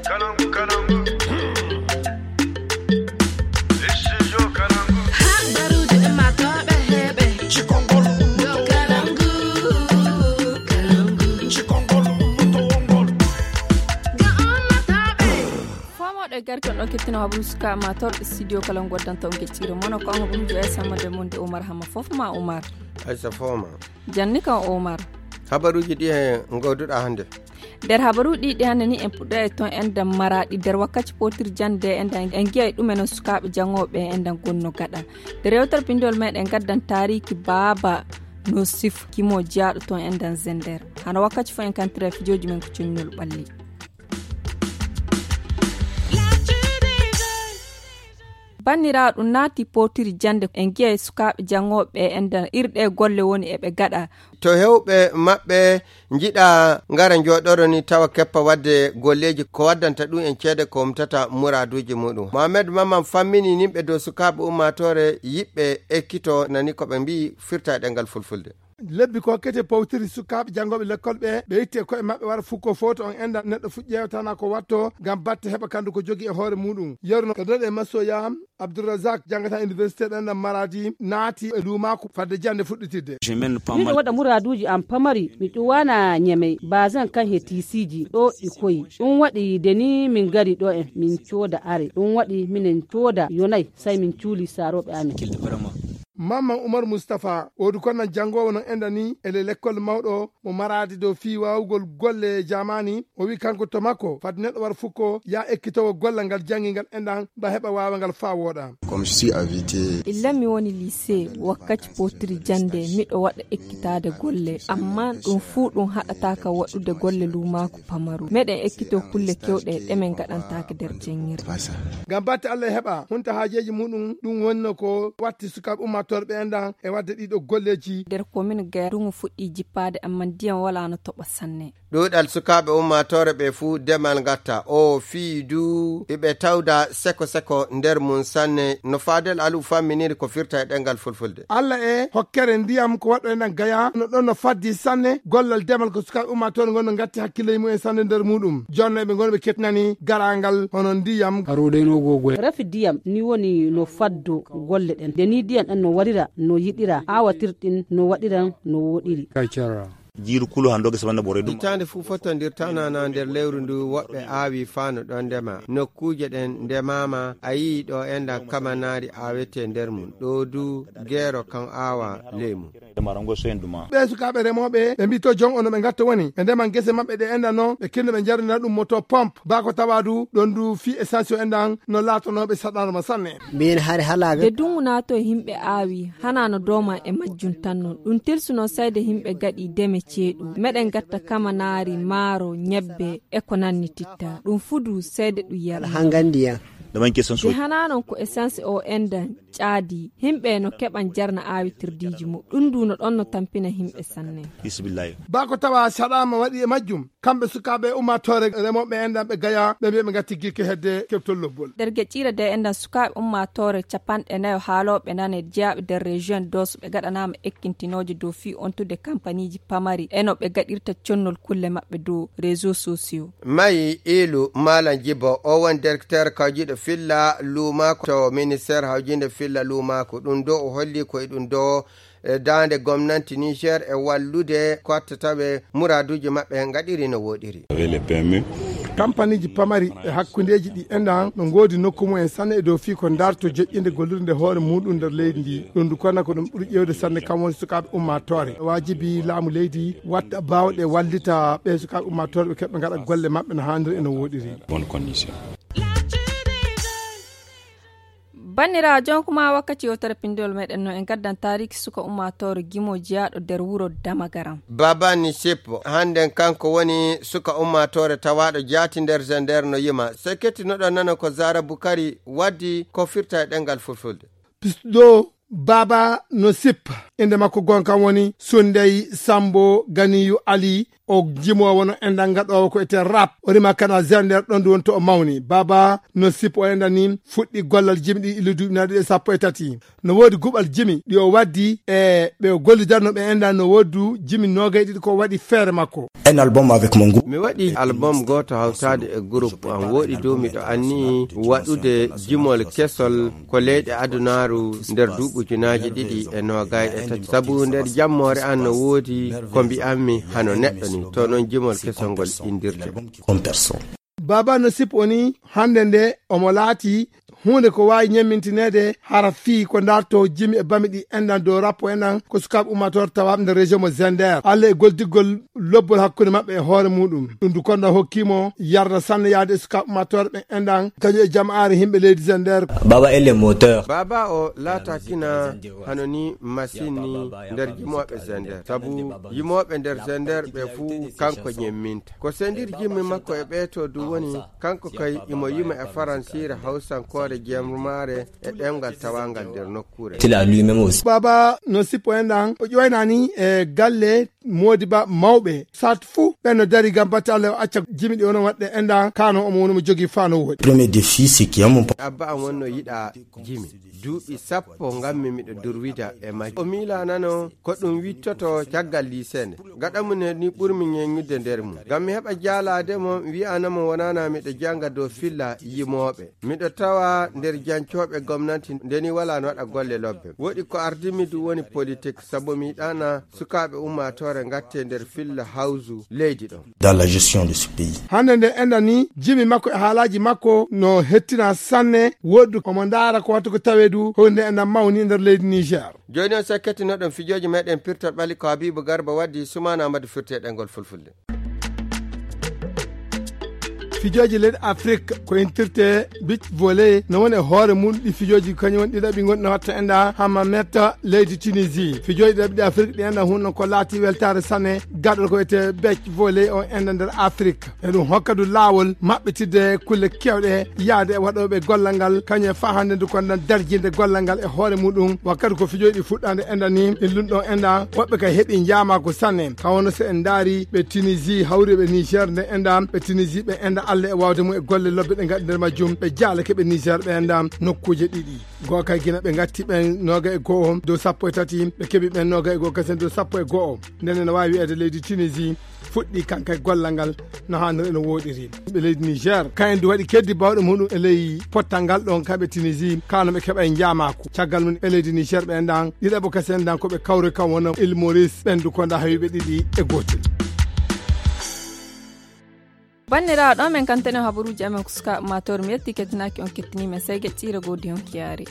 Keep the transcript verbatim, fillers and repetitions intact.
Kalangu, kalangu. Studio Kalangu. Habaruuji ɗi maa tooɓe heɓe. Cikongol. Yo Kalangu, Kalangu. Cikongol, ummatowongol. Ga ummatooɓe. Foomoɗo e garke on ɗo kettina habaru suka ma torɗe studio kala ngoddanto on gecciro mono ko habaruuji e sammade mon de Omar Hamma fof ma Omar. Aysa fooma. Janni kan Omar. Habaruuji ɗi e ngawduɗa hannde. Nder habaruuji ɗi hannde ni en puɗɗo e ton enɗan Maraɗi nder wakkaci potir jannde enɗan en ngi'ay ɗumen on sukaaɓe janngooɓe enɗan gonno gaɗa. Nder yewtere pinndol meɗen ngaddan taariiki baaba no sif kimo jiyaaɗo ton enɗan Zender. Hano wakkaci fof en kantira e fijooji men ko connol ɓalli. Banniraaɗo ɗum naati potiri jannde en ngi'ay sukaaɓe janngooɓe enɗan irɗe golle woni eɓe gaɗa. To heewɓe maɓɓe njiɗa ngara njooɗoro ni tawa keppa waɗde golleeji ko waddanta ɗum en ceede ko umtata muraaduuji muɗum. Mohamed Maman fammini nimɓe dow sukaaɓe ummaatoore yiɓɓe ekkito nani ko ɓe mbi'i firta e ɗemngal fulfulde. Lebbi ko kete powtiri sukaaɓe janngooɓe lekkol ɓe, ɓe itti e koye maɓɓe wara fukko fowto on enda neɗɗo fuɗ ƴeewtana ko watto ngam batte heɓa kanndu ko jogi e hoore muɗum. Yeru no kadi e masoya Abdourazak janngata université ɗen ɗan Maradi naati e luumaaku fadde jannde fuɗɗitidde. Miɗo waɗa muraaduuji am pamari, mi ɗuwaana ñemey, basan kan he tiisiiji ɗo ɗi koyi. Ɗum waɗi de ni min ngari ɗo en, min cooda are. Ɗum waɗi minen cooda yonay, say min cuuli saarooɓe amen. Mamman Umar Mustapha, woodi ko nan janngoowo non enda ni e le lekkol mawɗo mo Maraadi dow fii waawugol golle e jaamaani. O wi'i kanko to makko, fad neɗɗo war fukko yaa ekkitowo gollal ngal janngi ngal enɗan, ba heɓa waawa ngal faa wooɗa. Comme je suis invité. Illa mi woni lycée, wakkati potiri jannde, miɗo waɗa ekkitaade golle, amma ɗum fuu ɗum haɗataaka waɗude golle luumaaku pamaru. Meɗen ekkito kulle kewɗe ɗe men ngaɗantaake nder janngirde. Ngam batte Allah e heɓa, hunta haajeeji muɗum, ɗum wonno ko watti sukaaɓe ummaatooɓe ɓe enɗan e waɗde ɗiɗo golleeji. Nder commune Gaya, nduŋu fuɗɗii jippaade, amma ndiyam walaano toɓa sanne. Ɗuuɗal sukaaɓe ummaatoore ɓe fuu demal ngatta. O fii du iɓe tawda seko seko nder mum sanne. No Fadel Alu famminiri ko firta e ɗemngal fulfulde. Alla e hokkere ndiyam ko waɗɗo enɗan Gaya, no ɗon no faddi sanne. Gollal demal ko sukaaɓe ummaatoore ngon no ngatti hakkilleeji mumen sanne nder muɗum. Jonno eɓe ngoni ɓe kettinani garaangal hono ndiyam. Rafi ndiyam ni woni no faddo golle ɗen. Nde ni ndiyam ɗan no warira, no yiɗira, aawatirɗin no waɗiran no woɗiri. Jiiru kulu hannde o gesa wonde ɓoore ɗum. Hitaande fuu fotondirtanaana nder lewru ndu woɓɓe aawi faa no ɗon ndema. Nokkuuje ɗen ndemaama, a yi'i ɗo enɗan kamanaari aawetee nder mum, ɗo du geero kan aawa ley mum. Ɓee sukaaɓe remooɓe, ɓe mbi'i to jon ono ɓe ngatto woni, ɓe ndeman gese maɓɓe ɗe enɗan non, ɓe kinno ɓe njarnina ɗum moto pompe, baa ko tawaa du ɗon du fii essence o enɗan no laatonooɓe saɗaarma sanne. Mbiyen hari halaaɓe. Nde dungu naato e yimɓe aawi, hanaa no dooma e majjum tan non. Ɗum tilsuno sayde yimɓe gaɗi deme ceeɗu. Meɗen gatta kamanaari, maaro, ñebbe, e ko nanni titta. Ɗum fudu sayde ɗum yalna. Hangandi yan. Nde hanaa non ko essence o enɗan caadi. Yimɓe no keɓan jarna aawitirdiiji mu. Ɗum du no ɗon no tampina yimɓe sanne. Baa ko tawaa saɗaarma waɗi e majjum. Kamɓe sukaaɓe ummaatoore remooɓe enɗan ɓe Gaya, ɓe mbiya ɓe ngatti girke hedde keɓtol lobbol. Nder geƴƴiire de enɗan sukaaɓe ummaatoore capanɗe nayo haalooɓe nane jeyaaɓe nder région Dosso ɓe gaɗanaama ekkintinooje dow fii ontude kampaniiji pamari e no ɓe gaɗirta connol kulle maɓɓe dow réseaux sociaux. Mayi Ilu Malam Jibo, o woni directeur kawjiiɗo filla luumaaku to ministère hawjiinde filla luumaaku. Ɗum do o holli ko e ɗum do e daande gomnanti Niger e wallude ko watta tawe muraaduuji maɓɓe ngaɗiri no wooɗiri. Kampaniiji pamari e hakkundeeji ɗi enɗan no ngoodi nokku mumen sanne e dow fii ko darto joƴƴinde gollirde hoore muɗum nder leydi ndi. Ɗum du kona ko ɗum ɓuri ƴeewde sanne kam woni sukaaɓe ummaatoore. Waajibi laamu leydi watta baawɗe wallita ɓe sukaaɓe ummaatoore ɓe keɓɓe ngaɗa golle maɓɓe no haaniri e no wooɗiri. Bonne condition. Banniraawo, jonkuma wakkati yewtere pinndol meɗen no en gaddan taariki suka ummaatoore gimo jeyaaɗo nder wuro Damagaram. Baba Nisip, hannden kanko woni suka ummaatoore tawaaɗo jaati nder Zender no yima. Sey kettinoɗon nano ko Zara Bukari waddi ko firta e ɗemngal fulfulde. Pisɗo Baba no sippa. Innde makko goonga kan woni Sunday Sambo Ganiyu Ali. o jimoowo no enɗan gaɗoowo ko etee rap. O rima kana Zender ɗon ndu woni to o mawni. Baaba no sippo o enɗan ni fuɗɗi gollal jimi ɗi illu duuɓi nayi ɗiɗi e sappo e tati. No woodi guɓal jimi ɗi o waddi e ɓe o gollidarno ɓe enɗan no woodi du jimi noogay ɗiɗi ko waɗi feere makko. Un album avec mon groupe. Mi waɗi album gooto hawtaade e groupe am. Wooɗi dow miɗo anni waɗude jimol kesol ko leyɗe adunaaru nder duuɓi ujunaaji ɗiɗi e noogay e tati. Sabu nder jammoore an no woodi ko mbi'anmi hano neɗɗo ni. To noon jimol kesol ngol inndirte. Comme personne. Baaba no sippo ni hannde nde omo laati huunde ko waawi ñemmintineede hara fii ko darto jimi e bami ɗi enɗan dow rappo enɗan ko sukaaɓe ummaatoore tawaaɓe nder région mo Zender. Alla e goldigol lobbol hakkunde maɓɓe e hoore muɗum. Ɗum du konda hokkimo yarda sanne yaade e sukaaɓe ummaatoore ɓe enɗan kañum e jamaare yimɓe leydi Zender. Baba est le moteur. Baaba o laatakina hano ni machine ni nder jimooɓe Zender. Sabu yimooɓe nder Zender ɓe fuu kanko ñemminta. Ko sendir jimmi makko e ɓeeto du woni kanko kay imo yima e faransiire hawsankoore jemmaare e ɗemngal tawangal nder nokkuure. Il a lui-même aussi. Baaba no sippo enɗan o ƴoynani e galle moodi ba mawɓe sat fuu ɓen no dari ngam batte Alla o acca jimi ɗi onon waɗde enɗan kano omo woni mo jogii fano woodi. Premier défi, c'est qu'il y a mon pa- Abba am wonno yiɗa jimi. Duuɓi sappo ngammi miɗo durwida e majji. O miilanano ko ɗum wittoto caggal liisee nde. Gaɗa mum e ni ɓurmi ñeññude nder mum. Ngam mi heɓa jaalaade mo, mi wi'ana mo wonana miɗo jannga dow filla yimooɓe. Miɗo tawa nder jancooɓe gomnanti nde ni walaa no waɗa golle lobbe. Woɗi ko ardimi du woni politik, sabu mi yiɗana sukaaɓe ummaatoore ngatte nder filla hawsu leydi ɗon. Dans la gestion de ce pays. Hannde nde enɗan ni, jimi makko e haalaaji makko no hettina sanne, woɗɗi omo ndaara ko wattu ko tawee du, ko nde enɗan mawni nder leydi Niger. Jooni on so kettinoɗon fijooji meɗen pirtol ɓali ko Habibu Garba waddi Sumaana Amadu firti e ɗemngal Fulfulde. Fijooji leydi Afrik ko intirte beach volley no woni e hoore mum ɗi fijooji kañum woni ɗiɗaɓi gonɗi no watta enɗan Hammamet leydi Tunisie. Fijooji ɗiɗaɓi ɗi Afrik ɗi enɗan hunno ko laati weltaare sanne gaɗol ko wiyetee beach volley o enɗan nder Afrik. E ɗum hokka du laawol maɓɓitidde kulle keewɗe yaade e waɗooɓe gollal ngal kañum e faa hannde du ko enɗan darjinde gollal ngal e hoore muɗum. Wakkati ko fijooji ɗi fuɗɗaande enɗan ni e lunɗon enɗan woɓɓe kay heɓi njaamaaku sanne. Ka wonno so en ndaari ɓe Tunisie hawri ɓe Niger nde enɗan ɓe Tunisie ɓe enɗan Alla e waawde mum e golle lobbe ɗe ngaɗi nder majjum ɓe jaalake ɓe Niger ɓe enɗan nokkuuje ɗiɗi. Goo kay gina ɓe ngatti ɓen nooga e go'o dow sappo e tati ɓe keɓi ɓen nooga e go'o kasen dow sappo e go'o. Nden ene waawi wi'eede leydi Tunisie fuɗɗi kanka e gollal ngal no haaniri ene wooɗiri. Ɓe leydi Niger kayen du waɗi keddi bawɗe muɗum e ley pottal ngal ɗon kamɓe Tunisie kano ɓe keɓa e njaamaaku. Caggal mum ɓe leydi Niger ɓe enɗan ɗiɗaɓo kasen dan ko ɓe kawri kam wona Île Maurice ɓen du konda hawiɓe ɗiɗi e gootel. Banndiraawo ɗo men kantene habaruuji amen ko sukaaɓe maatoore mi yetti kettinaaki on kettiniimen sey geɗɗiire goo diyon kiyaari.